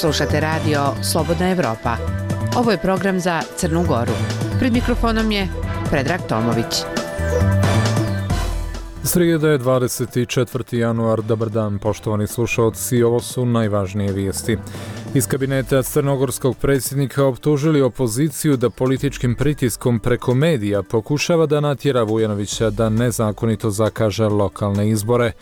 Slušate radio Slobodna Evropa. Ovo je program za Crnu Goru. Pred mikrofonom je Predrag Tomović. Srijeda je 24. januar. Dobar dan, poštovani slušalci. Ovo su najvažnije vijesti. Iz kabineta crnogorskog predsjednika optužili opoziciju da političkim pritiskom preko medija pokušava da natjera Vujanovića da nezakonito zakaže lokalne izbore.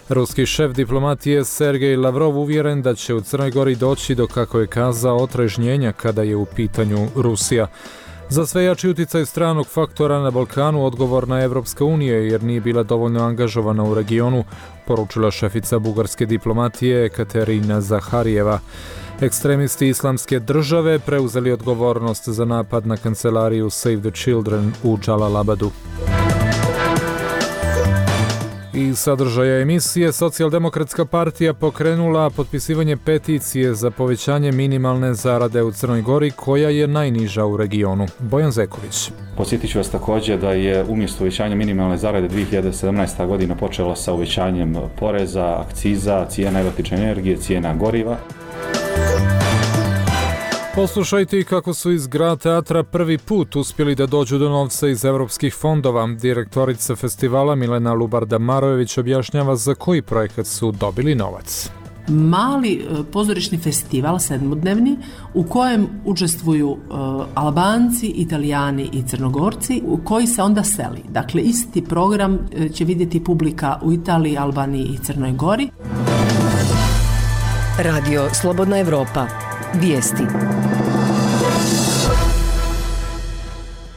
Ruski šef diplomatije Sergej Lavrov uvjeren da će u Crnoj Gori doći do, kako je kazao, otrežnjenja kada je u pitanju Rusija. Za sve jači utjecaj stranog faktora na Balkanu odgovorna je Evropska unija jer nije bila dovoljno angažovana u regionu, poručila šefica bugarske diplomatije Katerina Zaharijeva. Ekstremisti Islamske države preuzeli odgovornost za napad na kancelariju Save the Children u Džalalabadu. Iz sadržaja emisije Socijaldemokratska partija pokrenula potpisivanje peticije za povećanje minimalne zarade u Crnoj Gori, koja je najniža u regionu. Bojan Zeković. Podsjetit ću vas također da je umjesto uvećanja minimalne zarade 2017. godina počela sa uvećanjem poreza, akciza, cijena električne energije, cijena goriva. Poslušajte kako su iz Grad teatra prvi put uspjeli da dođu do novca iz evropskih fondova. Direktorica festivala Milena Lubarda-Marojević objašnjava za koji projekat su dobili novac. Mali pozorišni festival, sedmodnevni, u kojem učestvuju Albanci, Italijani i Crnogorci, u koji se onda seli. Dakle, isti program će vidjeti publika u Italiji, Albaniji i Crnoj Gori. Radio Slobodna Evropa. Vijesti.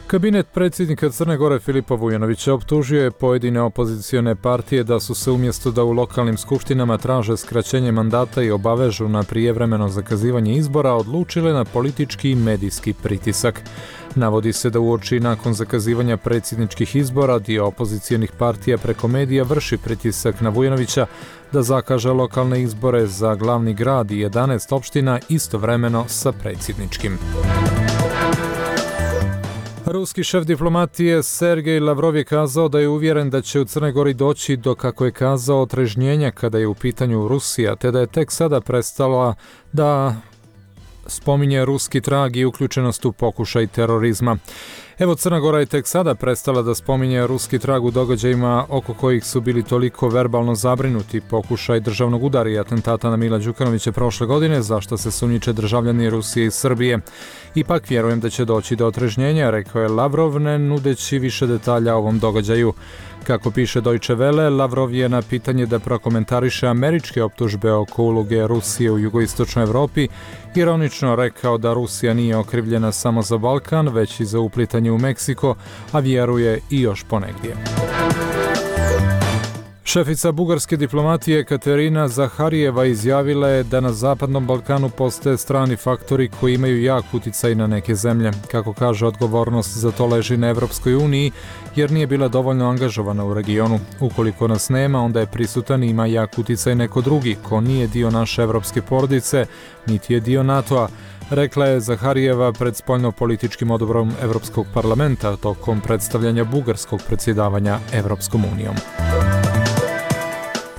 Kabinet predsjednika Crne Gore Filipa Vujanovića optužio je pojedine opozicione partije da su se umjesto da u lokalnim skupštinama traže skraćenje mandata i obavežu na prijevremeno zakazivanje izbora, odlučile na politički i medijski pritisak. Navodi se da uoči nakon zakazivanja predsjedničkih izbora dio opozicionih partija preko medija vrši pritisak na Vujanovića da zakaže lokalne izbore za glavni grad i 11 opština istovremeno sa predsjedničkim. Ruski šef diplomatije Sergej Lavrov je kazao da je uvjeren da će u Crnoj Gori doći do, kako je kazao, otrežnjenja kada je u pitanju Rusija, te da je tek sada prestala da spominje ruski trag i uključenost u pokušaj terorizma. Evo, Crna Gora je tek sada prestala da spominje ruski trag u događajima oko kojih su bili toliko verbalno zabrinuti, pokušaj državnog udara i atentata na Mila Đukanovića prošle godine, za što se sumnjiče državljani Rusije i Srbije. Ipak vjerujem da će doći do otrežnjenja, rekao je Lavrov, ne nudeći više detalja o ovom događaju. Kako piše Deutsche Welle, Lavrov je na pitanje da prokomentariše američke optužbe oko uloge Rusije u jugoistočnoj Evropi ironično rekao da Rusija nije okrivljena samo za Balkan, već i za uplitanje u Meksiko, a vjeruje i još ponegdje. Šefica bugarske diplomatije Katerina Zaharijeva izjavila je da na Zapadnom Balkanu postoje strani faktori koji imaju jak utjecaj na neke zemlje. Kako kaže, odgovornost za to leži na Evropskoj uniji jer nije bila dovoljno angažovana u regionu. Ukoliko nas nema, onda je prisutan i ima jak utjecaj neko drugi ko nije dio naše evropske porodice, niti je dio NATO-a, rekla je Zaharijeva pred spoljno-političkim odborom Evropskog parlamenta tokom predstavljanja bugarskog predsjedavanja Evropskom unijom.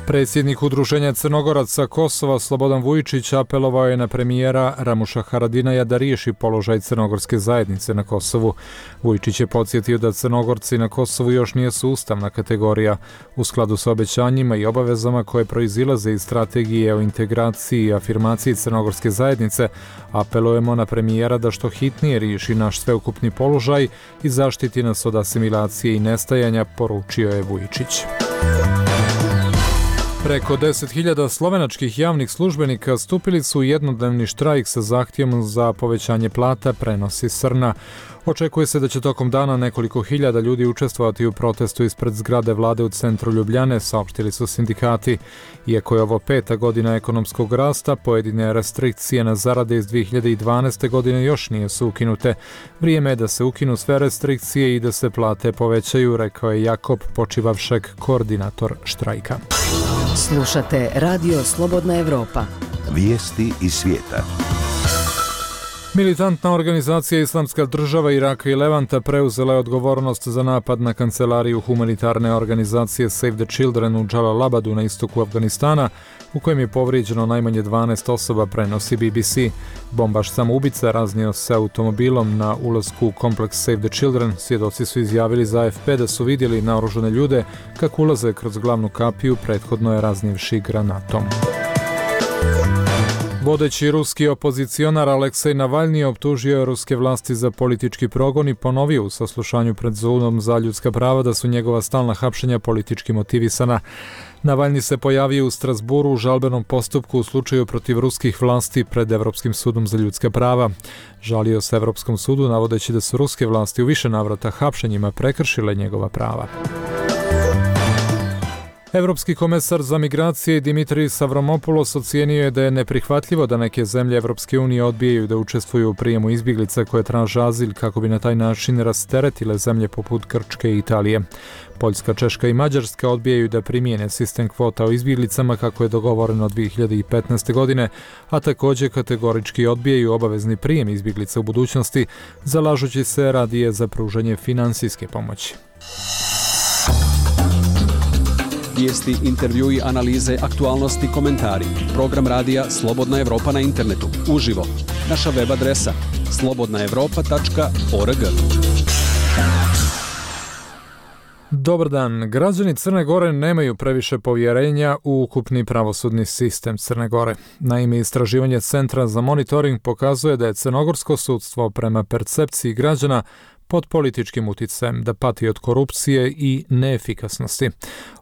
Predsjednik Udruženja Crnogoraca Kosova Slobodan Vujičić apelovao je na premijera Ramuša Haradinaja da riješi položaj crnogorske zajednice na Kosovu. Vujičić je podsjetio da Crnogorci na Kosovu još nije ustavna kategorija. U skladu sa obećanjima i obavezama koje proizilaze iz strategije o integraciji i afirmaciji crnogorske zajednice, apelujemo na premijera da što hitnije riješi naš sveukupni položaj i zaštiti nas od asimilacije i nestajanja, poručio je Vujičić. Preko 10.000 slovenačkih javnih službenika stupili su u jednodnevni štrajk sa zahtjevom za povećanje plata, prenosi Srna. Očekuje se da će tokom dana nekoliko hiljada ljudi učestvovati u protestu ispred zgrade vlade u centru Ljubljane, saopštili su sindikati. Iako je ovo 5. godina ekonomskog rasta, pojedine restrikcije na zarade iz 2012. godine još nije su ukinute. Vrijeme je da se ukinu sve restrikcije i da se plate povećaju, rekao je Jakob Počivavšek, koordinator štrajka. Slušate Radio Slobodna Evropa. Vijesti iz svijeta. Militantna organizacija Islamska država Iraka i Levanta preuzela je odgovornost za napad na kancelariju humanitarne organizacije Save the Children u Džalalabadu na istoku Afganistana, u kojem je povrijeđeno najmanje 12 osoba, prenosi BBC. Bombaš samoubica raznio se automobilom na ulasku u kompleks Save the Children. Svjedoci su izjavili za AFP da su vidjeli naoružane ljude kako ulaze kroz glavnu kapiju, prethodno je raznijevši granatom. Vodeći ruski opozicionar Aleksej Navalni optužio je ruske vlasti za politički progon i ponovio u saslušanju pred Sudom za ljudska prava da su njegova stalna hapšenja politički motivisana. Navalni se pojavio u Strasburu u žalbenom postupku u slučaju protiv ruskih vlasti pred Europskim sudom za ljudska prava. Žalio se Europskom sudu navodeći da su ruske vlasti u više navrata hapšenjima prekršile njegova prava. Europski komesar za migracije Dimitris Avramopoulos ocijenio je da je neprihvatljivo da neke zemlje Europske unije odbijaju da učestvuju u prijemu izbjeglica koje traže azil kako bi na taj način rasteretile zemlje poput Grčke i Italije. Poljska, Češka i Mađarska odbijaju da primijene sistem kvota o izbjeglicama kako je dogovoreno 2015. godine, a također kategorički odbijaju obavezni prijem izbjeglica u budućnosti, zalažući se radije za pružanje financijske pomoći. Vijesti, intervjui, analize, aktualnosti, komentari. Program radija Slobodna Evropa na internetu. Uživo. Naša web adresa slobodnaevropa.org. Dobar dan. Građani Crne Gore nemaju previše povjerenja u ukupni pravosudni sistem Crne Gore. Naime, istraživanje Centra za monitoring pokazuje da je crnogorsko sudstvo prema percepciji građana pod političkim utjecajem, da pati od korupcije i neefikasnosti.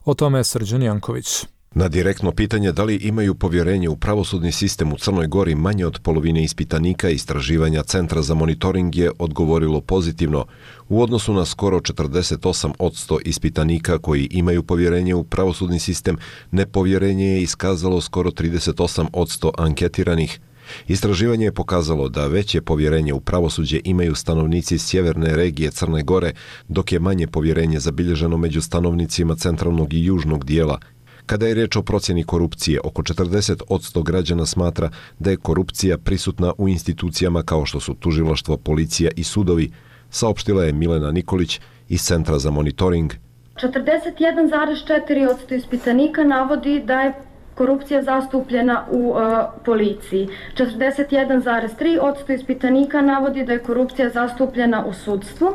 O tome je Srđan Janković. Na direktno pitanje da li imaju povjerenje u pravosudni sistem u Crnoj Gori manje od polovine ispitanika istraživanja Centra za monitoring je odgovorilo pozitivno. U odnosu na skoro 48% ispitanika koji imaju povjerenje u pravosudni sistem, nepovjerenje je iskazalo skoro 38% anketiranih. Istraživanje je pokazalo da veće povjerenje u pravosuđe imaju stanovnici sjeverne regije Crne Gore, dok je manje povjerenje zabilježeno među stanovnicima centralnog i južnog dijela. Kada je riječ o procjeni korupcije, oko 40% građana smatra da je korupcija prisutna u institucijama kao što su tužilaštvo, policija i sudovi, saopštila je Milena Nikolić iz Centra za monitoring. 41,4% ispitanika navodi da je korupcija zastupljena u policiji. 41,3% ispitanika navodi da je korupcija zastupljena u sudstvu.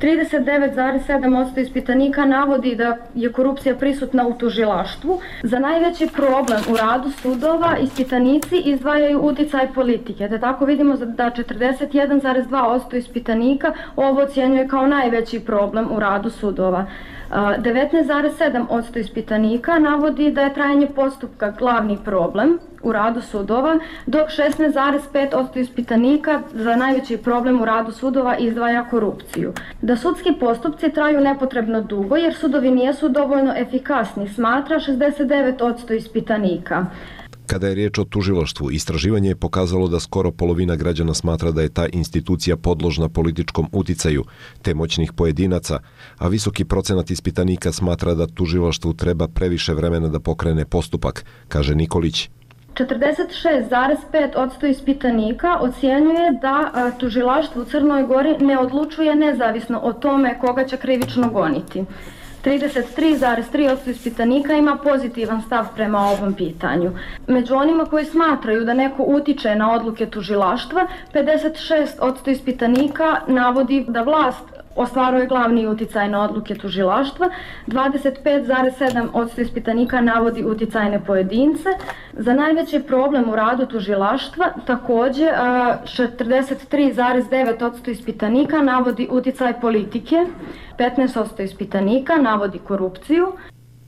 39,7% ispitanika navodi da je korupcija prisutna u tužilaštvu. Za najveći problem u radu sudova ispitanici izdvajaju utjecaj politike. Da tako vidimo da 41,2% ispitanika ovo ocjenjuje kao najveći problem u radu sudova. 19,7% ispitanika navodi da je trajanje postupka glavni problem u radu sudova, dok 16,5% ispitanika za najveći problem u radu sudova izdvaja korupciju. Da sudski postupci traju nepotrebno dugo jer sudovi nisu dovoljno efikasni, smatra 69% ispitanika. Kada je riječ o tužilaštvu, istraživanje je pokazalo da skoro polovina građana smatra da je ta institucija podložna političkom uticaju te moćnih pojedinaca, a visoki procenat ispitanika smatra da tužilaštvu treba previše vremena da pokrene postupak, kaže Nikolić. 46,5% ispitanika ocjenjuje da tužilaštvo u Crnoj Gori ne odlučuje nezavisno o tome koga će krivično goniti. 33,3% ispitanika ima pozitivan stav prema ovom pitanju. Među onima koji smatraju da neko utiče na odluke tužilaštva, 56% ispitanika navodi da vlast ostvaruje glavni uticaj na odluke tužilaštva, 25,7% ispitanika navodi uticajne pojedince. Za najveći problem u radu tužilaštva također 43,9% ispitanika navodi uticaj politike, 15% ispitanika navodi korupciju.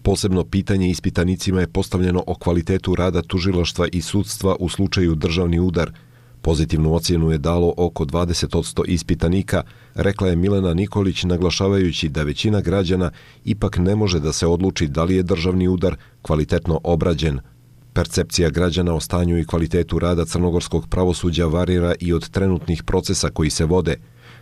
Posebno pitanje ispitanicima je postavljeno o kvalitetu rada tužilaštva i sudstva u slučaju državni udar. Pozitivnu ocjenu je dalo oko 20% ispitanika, rekla je Milena Nikolić, naglašavajući da većina građana ipak ne može da se odluči da li je državni udar kvalitetno obrađen. Percepcija građana o stanju i kvalitetu rada crnogorskog pravosuđa varira i od trenutnih procesa koji se vode.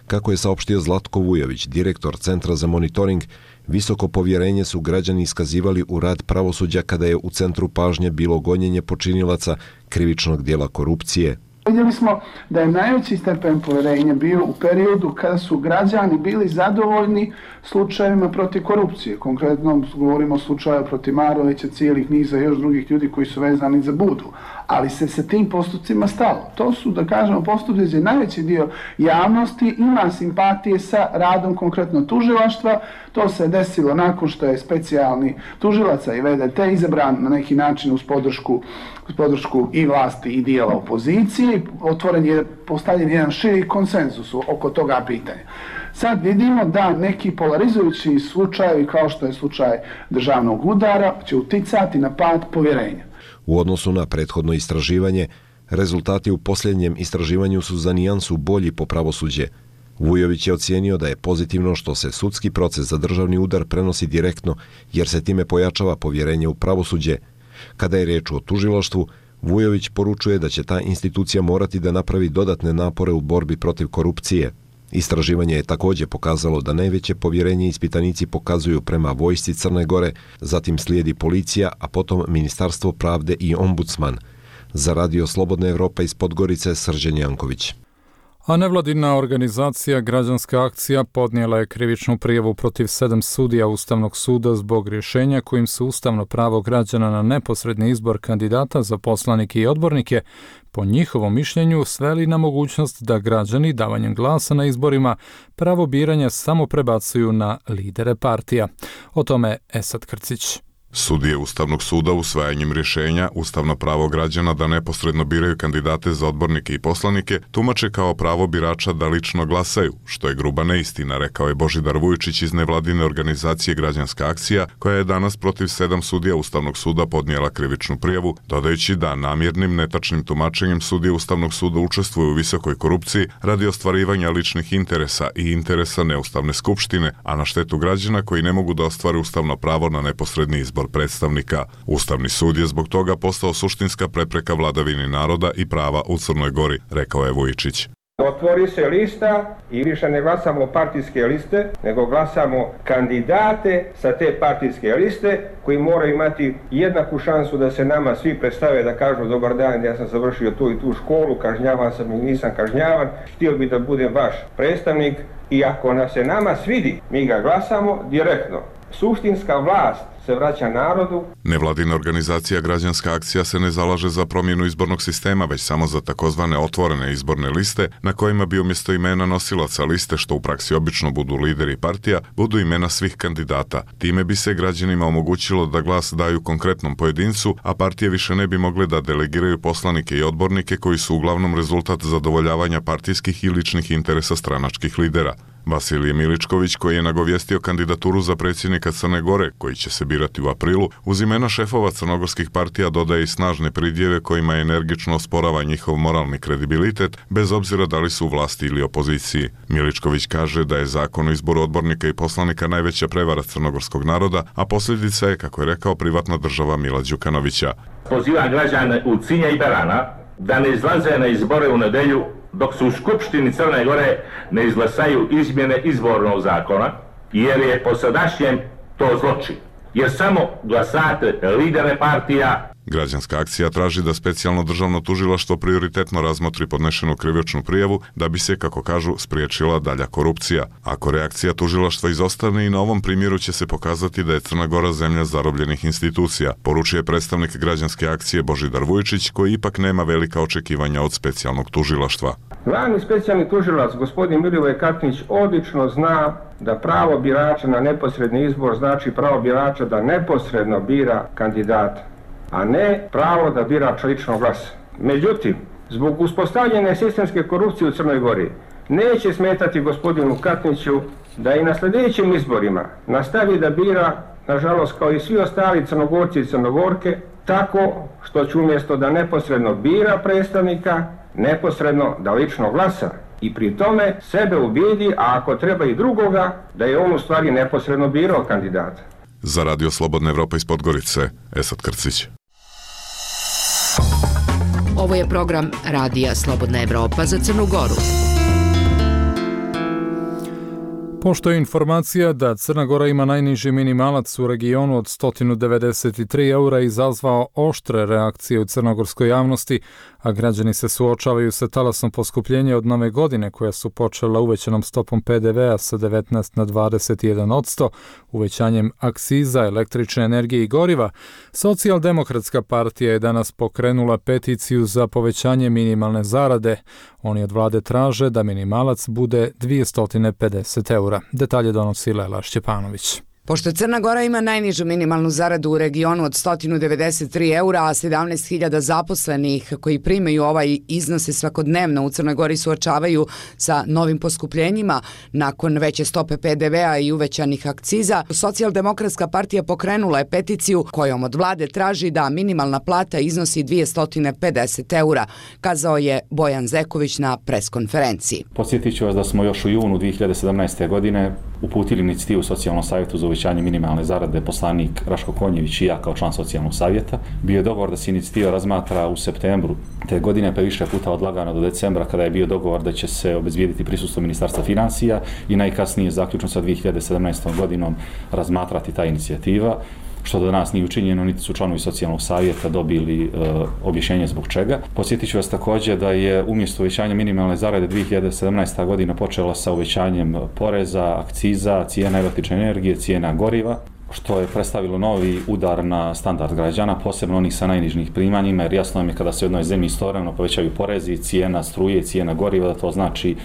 Kako je saopštio Zlatko Vujović, direktor Centra za monitoring, visoko povjerenje su građani iskazivali u rad pravosuđa kada je u centru pažnje bilo gonjenje počinilaca krivičnog dijela korupcije. Vidjeli smo da je najveći stepen povjerenja bio u periodu kada su građani bili zadovoljni slučajevima protiv korupcije. Konkretno govorimo o slučaju protiv Marovića, cijelih niza još drugih ljudi koji su vezani za Budu. Ali se sa tim postupcima stalo. To su, da kažemo, postupci gdje najveći dio javnosti ima simpatije sa radom konkretno tužilaštva. To se desilo nakon što je specijalni tužilaca i VDT izabran na neki način uz podršku i vlasti i dijela opozicije. Postavljen jedan širi konsenzus oko toga pitanja. Sad vidimo da neki polarizujući slučajevi kao što je slučaj državnog udara će uticati na pad povjerenja. U odnosu na prethodno istraživanje, rezultati u posljednjem istraživanju su za nijansu bolji po pravosuđe. Vujović je ocijenio da je pozitivno što se sudski proces za državni udar prenosi direktno, jer se time pojačava povjerenje u pravosuđe. Kada je riječ o tužilaštvu, Vujović poručuje da će ta institucija morati da napravi dodatne napore u borbi protiv korupcije. Istraživanje je također pokazalo da najveće povjerenje ispitanici pokazuju prema vojsci Crne Gore, zatim slijedi policija, a potom Ministarstvo pravde i ombudsman. Za Radio Slobodna Evropa iz Podgorice, Srđan Janković. A nevladina organizacija Građanska akcija podnijela je krivičnu prijavu protiv 7 sudija Ustavnog suda zbog rješenja kojim se ustavno pravo građana na neposredni izbor kandidata za poslanike i odbornike po njihovom mišljenju sveli na mogućnost da građani davanjem glasa na izborima pravo biranja samo prebacuju na lidere partija. O tome Esad Krcić. Sudije Ustavnog suda usvajanjem rješenja ustavno pravo građana da neposredno biraju kandidate za odbornike i poslanike tumače kao pravo birača da lično glasaju, što je gruba neistina, rekao je Božidar Vujčić iz nevladine organizacije Građanska akcija, koja je danas protiv 7 sudija Ustavnog suda podnijela krivičnu prijavu, dodajući da namjernim netačnim tumačenjem sudije Ustavnog suda učestvuju u visokoj korupciji radi ostvarivanja ličnih interesa i interesa neustavne skupštine, a na štetu građana koji ne mogu da ostvare ustavno pravo na neposredni izbor predstavnika. Ustavni sud je zbog toga postao suštinska prepreka vladavini naroda i prava u Crnoj Gori, rekao je Vujičić. Otvori se lista i više ne glasamo partijske liste, nego glasamo kandidate sa te partijske liste koji moraju imati jednaku šansu da se nama svi predstave, da kažu dobar dan, ja sam završio tu i tu školu, kažnjavan sam i nisam kažnjavan, htio bi da budem vaš predstavnik i ako nas se nama svidi, mi ga glasamo direktno. Suštinska vlast se vraća narodu. Nevladina organizacija Građanska akcija se ne zalaže za promjenu izbornog sistema, već samo za takozvane otvorene izborne liste, na kojima bi umjesto imena nosilaca liste, što u praksi obično budu lideri partija, budu imena svih kandidata. Time bi se građanima omogućilo da glas daju konkretnom pojedincu, a partije više ne bi mogle da delegiraju poslanike i odbornike koji su uglavnom rezultat zadovoljavanja partijskih i ličnih interesa stranačkih lidera. Vasilije Miličković, koji je nagovijestio kandidaturu za predsjednika Crne Gore, koji će se birati u aprilu, uz imena šefova crnogorskih partija dodaje i snažne pridjeve kojima energično osporava njihov moralni kredibilitet, bez obzira da li su u vlasti ili opoziciji. Miličković kaže da je zakon o izboru odbornika i poslanika najveća prevara crnogorskog naroda, a posljedica je, kako je rekao, privatna država Mila Đukanovića. Poziva građane u Cinja i Berana da ne izlaze na izbore u nedelju dok se u Skupštini Crne Gore ne izglasaju izmjene izbornog zakona, jer je po sadašnjem to zločin. Jer samo glasate lidere partija. Građanska akcija traži da specijalno državno tužilaštvo prioritetno razmotri podnešenu krivičnu prijavu da bi se, kako kažu, spriječila dalja korupcija. Ako reakcija tužilaštva izostane, i na ovom primjeru će se pokazati da je Crna Gora zemlja zarobljenih institucija, poručuje predstavnik Građanske akcije Božidar Vujčić, koji ipak nema velika očekivanja od specijalnog tužilaštva. Glavni specijalni tužilac, gospodin Milivoj Katnić, odlično zna da pravo birača na neposredni izbor znači pravo birača da neposredno bira kandidata, a ne pravo da bira lično glas. Međutim, zbog uspostavljene sistemske korupcije u Crnoj Gori, neće smetati gospodinu Katniću da i na sljedećim izborima nastavi da bira, nažalost kao i svi ostali Crnogorci i Crnogorke, tako što će umjesto da neposredno bira predstavnika, neposredno da lično glasa i pri tome sebe ubijedi, a ako treba i drugoga, da je on u stvari neposredno birao kandidata. Za Radio Slobodna Evropa iz Podgorice, Esad Krcić. Ovo je program Radija Slobodna Evropa za Crnu Goru. Pošto je informacija da Crna Gora ima najniži minimalac u regionu od 193 eura izazvao oštre reakcije u crnogorskoj javnosti, a građani se suočavaju sa talasom poskupljenja od nove godine koja su počela uvećanom stopom PDV-a sa 19 na 21%, uvećanjem akciza, električne energije i goriva. Socijaldemokratska partija je danas pokrenula peticiju za povećanje minimalne zarade. Oni od vlade traže da minimalac bude 250 eura. Detalje donosi Lela Šćepanović. Pošto Crna Gora ima najnižu minimalnu zaradu u regionu od 193 eura, a 17.000 zaposlenih koji primaju ovaj iznose svakodnevno u Crnoj Gori suočavaju sa novim poskupljenjima nakon veće stope PDV-a i uvećanih akciza, Socijaldemokratska partija pokrenula je peticiju kojom od vlade traži da minimalna plata iznosi 250 eura, kazao je Bojan Zeković na preskonferenciji. Podsjetit ću vas da smo još u junu 2017. godine uputili inicijativu Socijalnom savjetu za uvećanje minimalne zarade, poslanik Raško Konjević i ja kao član Socijalnog savjeta. Bio je dogovor da se inicijativa razmatra u septembru te godine, pa više puta odlagano do decembra, kada je bio dogovor da će se obezbijediti prisustvo Ministarstva financija i najkasnije zaključno sa 2017. godinom razmatrati ta inicijativa, što do nas nije učinjeno, niti su članovi Socijalnog savjeta dobili objašnjenje zbog čega. Podsjetit ću vas također da je umjesto uvećanja minimalne zarade 2017. godina počela sa uvećanjem poreza, akciza, cijena električne energije, cijena goriva, što je predstavilo novi udar na standard građana, posebno onih sa najnižih primanjima, jer jasno je kada se u jednoj zemlji istovremeno povećaju porezi, cijena struje, cijena goriva, da to znači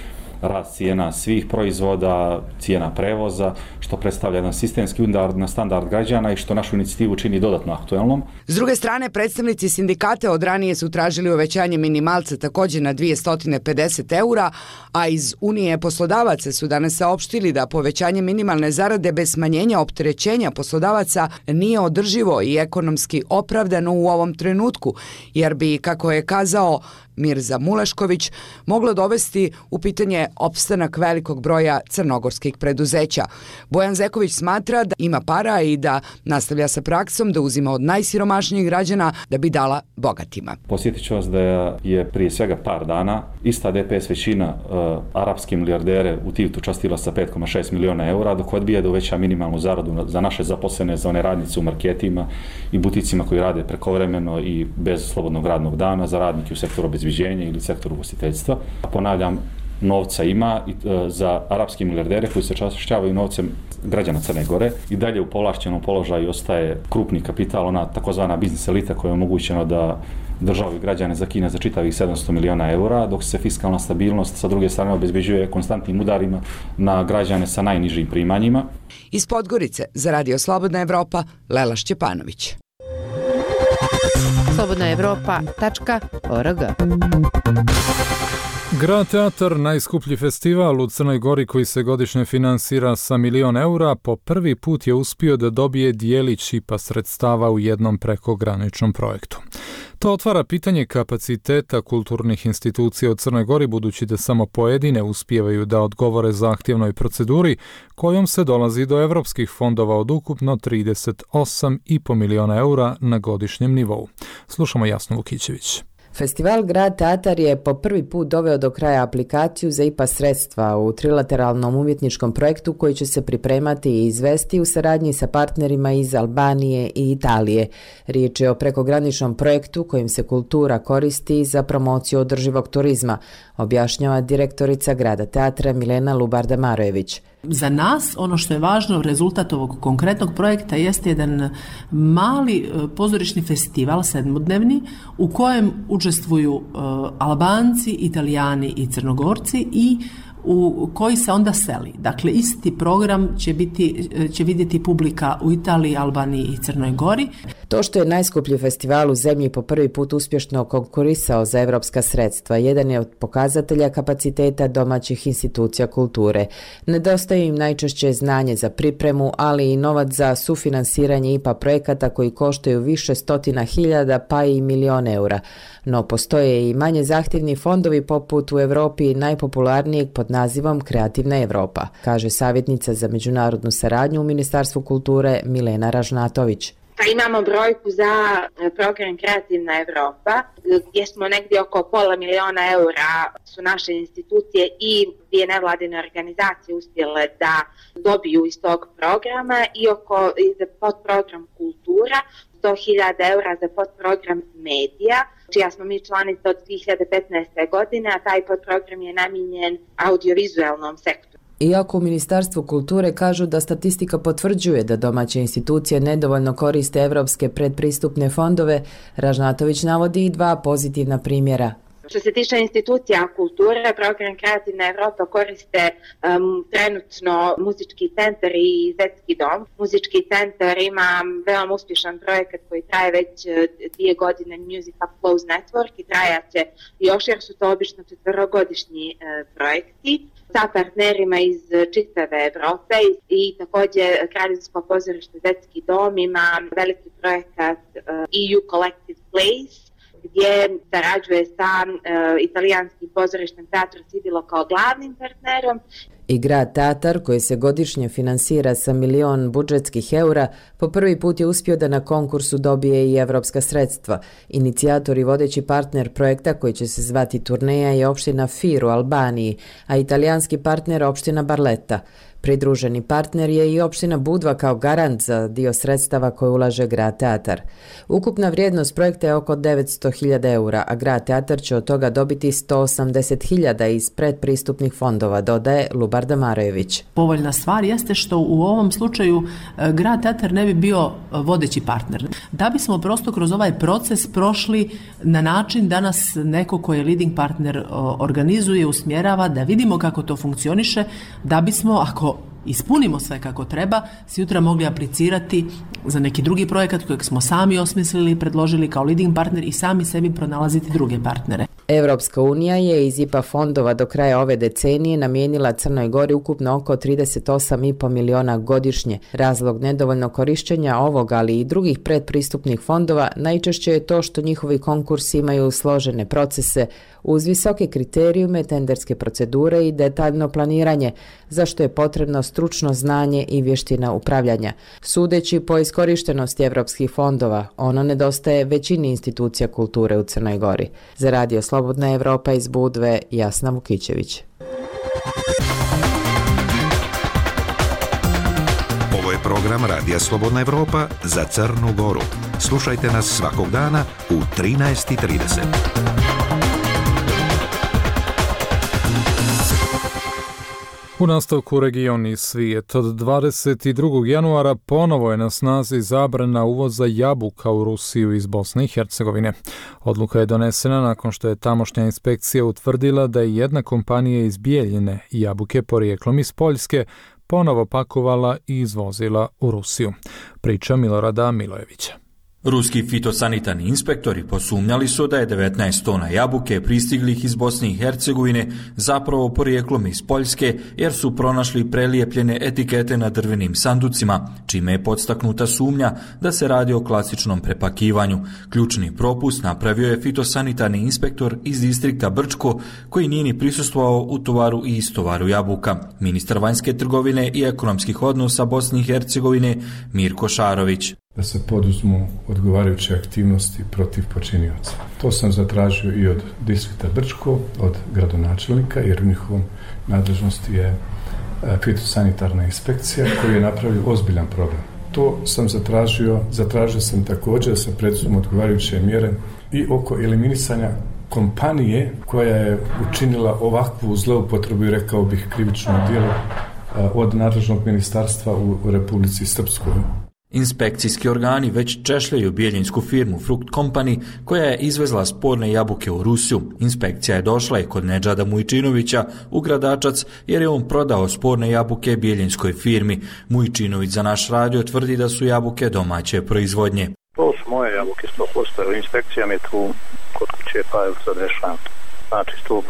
rast cijena svih proizvoda, cijena prevoza, što predstavlja jedan sistemski udar na standard građana i što našu inicijativu čini dodatno aktuelnom. S druge strane, predstavnici sindikata od ranije su tražili uvećanje minimalca također na 250 eura, a iz Unije poslodavaca su danas saopštili da povećanje minimalne zarade bez smanjenja opterećenja poslodavaca nije održivo i ekonomski opravdano u ovom trenutku, jer bi, kako je kazao Mirza Mulešković, moglo dovesti u pitanje opstanak velikog broja crnogorskih preduzeća. Bojan Zeković smatra da ima para i da nastavlja sa praksom da uzima od najsiromašnijih građana da bi dala bogatima. Posjetit ću vas da je prije svega par dana ista DPS većina arapske milijardere u Tivtu častila sa 5,6 miliona eura, dok odbija da uveća minimalnu zaradu za naše zaposlene, za one radnice u marketima i buticima koji rade prekovremeno i bez slobodnog radnog dana, za radnike u sektoru obezbeđenja ili sektoru ugostiteljstva. Ponavljam, novca ima za arapske milijardere koji se čašćavaju novcem građana Crne Gore. I dalje u povlašćenom položaju ostaje krupni kapital, ona takozvana biznis elita koja je omogućena da državu i građane zakine za čitavih 700 miliona eura, dok se fiskalna stabilnost sa druge strane obezbeđuje konstantnim udarima na građane sa najnižim primanjima. Iz Podgorice za Radio Slobodna Evropa, Lela Šćepanović. slobodnaevropa.org. Grad Teatar, najskuplji festival u Crnoj Gori koji se godišnje finansira sa 1 milion eura, po prvi put je uspio da dobije dijelić IPA sredstava u jednom prekograničnom projektu. To otvara pitanje kapaciteta kulturnih institucija u Crnoj Gori, budući da samo pojedine uspijevaju da odgovore zahtjevnoj proceduri kojom se dolazi do evropskih fondova od ukupno 38,5 miliona eura na godišnjem nivou. Slušamo Jasnu Vukićević. Festival Grad Teatar je po prvi put doveo do kraja aplikaciju za IPA sredstva u trilateralnom umjetničkom projektu koji će se pripremati i izvesti u saradnji sa partnerima iz Albanije i Italije. Riječ je o prekograničnom projektu kojim se kultura koristi za promociju održivog turizma, objašnjava direktorica Grada Teatra Milena Lubarda-Marojević. Za nas ono što je važno, rezultat ovog konkretnog projekta jeste jedan mali pozorišni festival, 7-dnevni, u kojem učestvuju Albanci, Italijani i Crnogorci i u koji se onda seli. Dakle, isti program će vidjeti publika u Italiji, Albaniji i Crnoj Gori. To što je najskuplji festival u zemlji po prvi put uspješno konkurisao za evropska sredstva, jedan je od pokazatelja kapaciteta domaćih institucija kulture. Nedostaje im najčešće znanje za pripremu, ali i novac za sufinansiranje IPA projekata koji koštaju više stotina hiljada pa i milion eura. No postoje i manje zahtjevni fondovi poput u Europi najpopularnijeg pod nazivom Kreativna Evropa, kaže savjetnica za međunarodnu saradnju u Ministarstvu kulture Milena Ražnatović. Pa imamo brojku za program Kreativna Evropa, gdje smo negdje oko $500.000 eura su naše institucije i dvije nevladine organizacije uspjele da dobiju iz tog programa i za podprogram Kultura, $100.000 eura za podprogram Medija, čija smo mi članica od 2015. godine, a taj podprogram je namijenjen audiovizualnom sektoru. Iako u Ministarstvu kulture kažu da statistika potvrđuje da domaće institucije nedovoljno koriste evropske predpristupne fondove, Ražnatović navodi i dva pozitivna primjera. Što se tiče institucija kulture, program Kreativna Evropa koriste trenutno Muzički centar i Zetski dom. Muzički centar ima veoma uspješan projekat koji traje već 2 godine, Music Up Flows Network, i trajaće još jer su to obično 4-godišnji projekti sa partnerima iz čitave Evrope i također Kraljevsko pozorište Zetski dom ima veliki projekat EU Collective Plays, gdje sarađuje sa italijanskim pozorištem Teatro Sibilo kao glavnim partnerom. I grad Tatar, koji se godišnje finansira sa 1 milion budžetskih eura, po prvi put je uspio da na konkursu dobije i evropska sredstva. Inicijator i vodeći partner projekta, koji će se zvati Turneja, je opština Fir u Albaniji, a italijanski partner opština Barletta. Pridruženi partner je i opština Budva kao garant za dio sredstava koje ulaže grad Tatar. Ukupna vrijednost projekta je oko 900.000 eura, a grad Tatar će od toga dobiti 180.000 iz predpristupnih fondova, dodaje Lubar Damarojević. Povoljna stvar jeste što u ovom slučaju grad Tatar ne bi bio vodeći partner. Da bismo prosto kroz ovaj proces prošli na način da nas neko ko je leading partner organizuje, usmjerava, da vidimo kako to funkcioniše, da bismo, ako ispunimo sve kako treba, sutra mogli aplicirati za neki drugi projekat kojeg smo sami osmislili i predložili kao leading partner i sami sebi pronalaziti druge partnere. Evropska unija je iz IPA fondova do kraja ove decenije namijenila Crnoj Gori ukupno oko 38,5 miliona godišnje. Razlog nedovoljno korišćenja ovog, ali i drugih predpristupnih fondova najčešće je to što njihovi konkursi imaju složene procese uz visoke kriterijume, tenderske procedure i detaljno planiranje, za što je potrebno stručno znanje i vještina upravljanja. Sudeći po iskorištenosti evropskih fondova, ono nedostaje većini institucija kulture u Crnoj Gori. Za Radio Slobodna Evropa iz Budve, Jasna Vukićević. Ovo je program Radija Slobodna Evropa za Crnu Goru. Slušajte nas svakog dana u 13:30. U nastavku region i svijet. Od 22. januara ponovo je na snazi zabrana uvoza jabuka u Rusiju iz Bosne i Hercegovine. Odluka je donesena nakon što je tamošnja inspekcija utvrdila da je jedna kompanija iz Bijeljine jabuke porijeklom iz Poljske ponovo pakovala i izvozila u Rusiju. Priča Milorada Milojevića. Ruski fitosanitarni inspektori posumnjali su da je 19 tona jabuke pristiglih iz Bosne i Hercegovine zapravo porijeklom iz Poljske, jer su pronašli prelijepljene etikete na drvenim sanducima, čime je podstaknuta sumnja da se radi o klasičnom prepakivanju. Ključni propust napravio je fitosanitarni inspektor iz distrikta Brčko, koji nije ni prisustvovao u tovaru i istovaru jabuka. Ministar vanjske trgovine i ekonomskih odnosa Bosne i Hercegovine Mirko Šarović. Da se poduzmu odgovarajuće aktivnosti protiv počinioca. To sam zatražio i od distrikta Brčko, od gradonačelnika, jer u njihovom nadležnosti je fitosanitarna inspekcija koji je napravio ozbiljan problem. To sam zatražio sam također da se preduzmu odgovarajuće mjere i oko eliminisanja kompanije koja je učinila ovakvu zloupotrebu i rekao bih krivično djelo od nadležnog ministarstva u Republici Srpskoj. Inspekcijski organi već češljaju bijeljinsku firmu Frukt Company koja je izvezla sporne jabuke u Rusiju. Inspekcija je došla i kod Nedžada Mujčinovića u Gradačac jer je on prodao sporne jabuke bijeljinskoj firmi. Mujčinović za naš radio tvrdi da su jabuke domaće proizvodnje. To su moje jabuke 100%, inspekcija mi tu kod kuće pa je sad rešavam. Znači 100%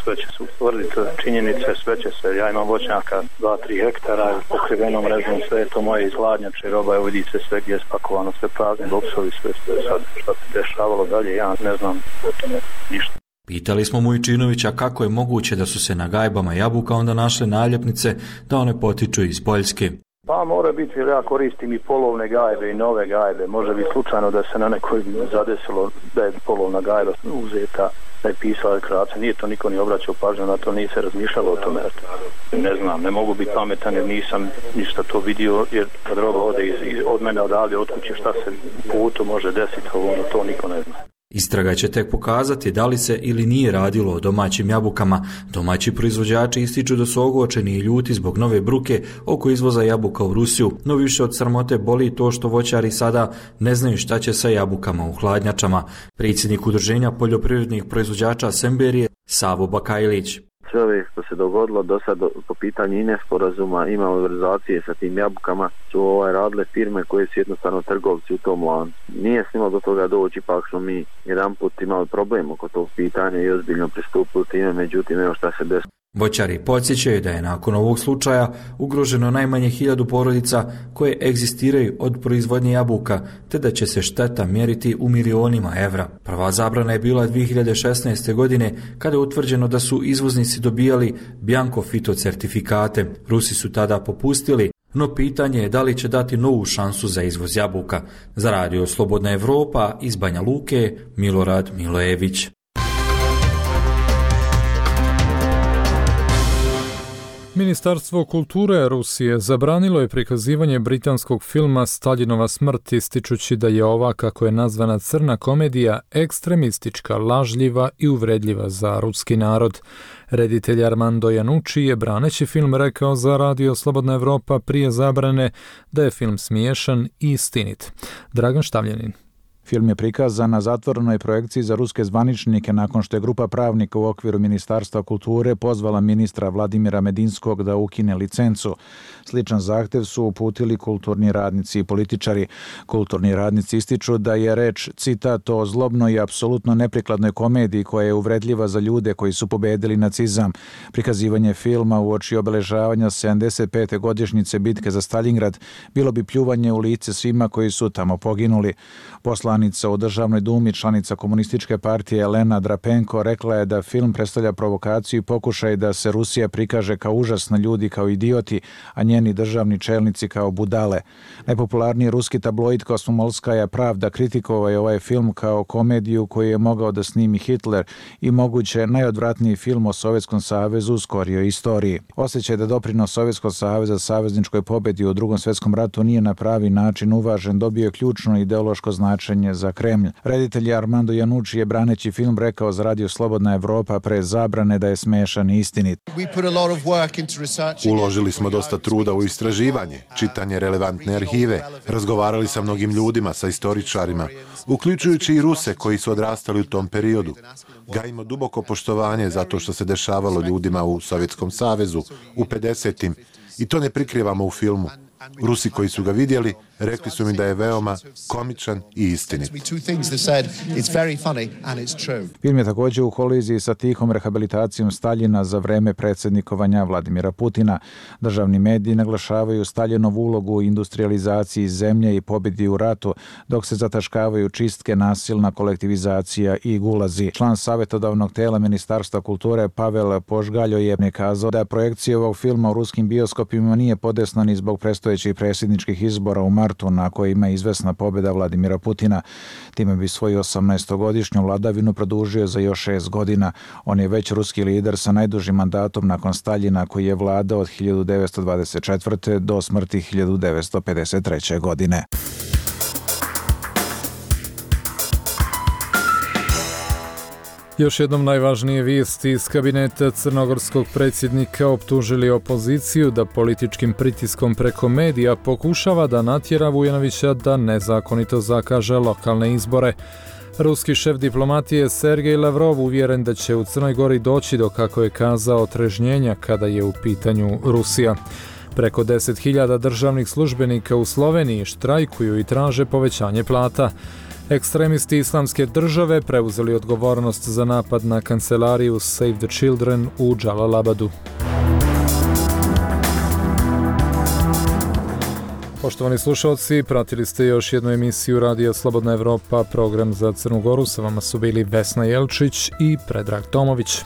sve će se utvrditi činjenice, sve će se, ja imam voćnjaka 2-3 hektara, pokrivenom mrežom, sve je to moje iz hladnjače, roba je vidi se sve gdje je spakovano, sve prazni boksovi, sve sad što se dešavalo dalje, ja ne znam o tome ništa. Pitali smo Mujčinovića kako je moguće da su se na gajbama jabuka onda našle naljepnice da one potiču iz Poljske. Pa mora biti, jer ja koristim i polovne gajbe i nove gajbe. Može biti slučajno da se na nekoj zadesilo da je polovna gajba uzeta, da je pisala deklaracija. Nije to niko ni obraćao pažnju na to, nije se razmišljalo o tome. Ne znam, ne mogu biti pametan jer nisam ništa to vidio, jer kad roba ode od mene odavde, od kuće, šta se putu može desiti, to niko ne zna. Istraga će tek pokazati da li se ili nije radilo o domaćim jabukama. Domaći proizvođači ističu da su ogorčeni i ljuti zbog nove bruke oko izvoza jabuka u Rusiju, no više od sramote boli to što voćari sada ne znaju šta će sa jabukama u hladnjačama. Predsjednik Udruženja poljoprivrednih proizvođača Semberije, Savo Bakajlić. Sve ove što se dogodilo do sad po pitanju nesporazuma i malverzacije sa tim jabukama su radile firme koje su jednostavno trgovci u tom lancu. Nije snimalo do toga doći, ipak smo mi jedan put imali problem oko tog pitanja i ozbiljno pristupili time, međutim evo šta se desilo. Voćari podsjećaju da je nakon ovog slučaja ugroženo najmanje 1000 porodica koje egzistiraju od proizvodnje jabuka, te da će se šteta mjeriti u milionima evra. Prva zabrana je bila 2016. godine kada je utvrđeno da su izvoznici dobijali bianco fitocertifikate. Rusi su tada popustili, no pitanje je da li će dati novu šansu za izvoz jabuka. Za Radio Slobodna Evropa iz Banja Luke, Milorad Milojević. Ministarstvo kulture Rusije zabranilo je prikazivanje britanskog filma Staljinova smrt, ističući da je ova, kako je nazvana, crna komedija, ekstremistička, lažljiva i uvredljiva za ruski narod. Reditelj Armando Janucci je, braneći film, rekao za Radio Slobodna Evropa prije zabrane da je film smiješan i istinit. Dragan Štavljanin. Film je prikazan na zatvorenoj projekciji za ruske zvaničnike nakon što je grupa pravnika u okviru Ministarstva kulture pozvala ministra Vladimira Medinskog da ukine licencu. Sličan zahtev su uputili kulturni radnici i političari. Kulturni radnici ističu da je reč, citat, o zlobnoj i apsolutno neprikladnoj komediji koja je uvredljiva za ljude koji su pobedili nacizam. Prikazivanje filma uoči obeležavanja 75. godišnjice bitke za Staljingrad bilo bi pljuvanje u lice svima koji su tamo poginuli. Poslanica u Državnoj dumi, članica komunističke partije Elena Drapenko, rekla je da film predstavlja provokaciju i pokušaj da se Rusija prikaže kao užasna, ljudi kao idioti, a njeni državni čelnici kao budale. Najpopularniji ruski tabloid Kosmomolskaja Pravda kritikovao je ovaj film kao komediju koju je mogao da snimi Hitler i moguće najodvratniji film o Sovjetskom savezu u skorijoj istoriji. Osjećaj da doprinos Sovjetskog saveza savezničkoj pobjedi u Drugom svjetskom ratu nije na pravi način uvažen, dobio je ključno ideološko značenje za Kremlj. Reditelj Armando Janucci je, braneći film, rekao za Radio Slobodna Evropa pre zabrane da je smešan i istinit. Uložili smo dosta truda u istraživanje, čitanje relevantne arhive, razgovarali sa mnogim ljudima, sa istoričarima, uključujući i Ruse koji su odrastali u tom periodu. Gajimo duboko poštovanje zato što se dešavalo ljudima u Sovjetskom savezu, u 50-im, i to ne prikrivamo u filmu. Rusi koji su ga vidjeli rekli su mi da je veoma komičan i istinit. Film je također u koliziji sa tihom rehabilitacijom Staljina za vreme predsjednikovanja Vladimira Putina. Državni mediji naglašavaju Staljinovu ulogu u industrializaciji zemlje i pobjedi u ratu, dok se zataškavaju čistke, nasilna kolektivizacija i gulazi. Član savjetodavnog tela Ministarstva kulture Pavel Požgaljo je kazao da projekcija ovog filma u ruskim bioskopima nije podesna ni zbog predstojećih predsjedničkih izbora u martu na kojima je izvesna pobjeda Vladimira Putina. Time bi svoju 18-godišnju vladavinu produžio za još 6 godina. On je već ruski lider sa najdužim mandatom nakon Staljina, koji je vladao od 1924. do smrti 1953. godine. Još jednom najvažnije vijesti iz kabineta crnogorskog predsjednika optužili opoziciju da političkim pritiskom preko medija pokušava da natjera Vujanovića da nezakonito zakaže lokalne izbore. Ruski šef diplomatije Sergej Lavrov uvjeren da će u Crnoj Gori doći do, kako je kazao, otrežnjenja kada je u pitanju Rusija. Preko 10.000 državnih službenika u Sloveniji štrajkuju i traže povećanje plata. Ekstremisti Islamske države preuzeli odgovornost za napad na kancelariju Save the Children u Džalalabadu. Poštovani slušalci, pratili ste još jednu emisiju Radija Slobodna Evropa, program za Crnu Goru. Sa vama su bili Vesna Jelčić i Predrag Tomović.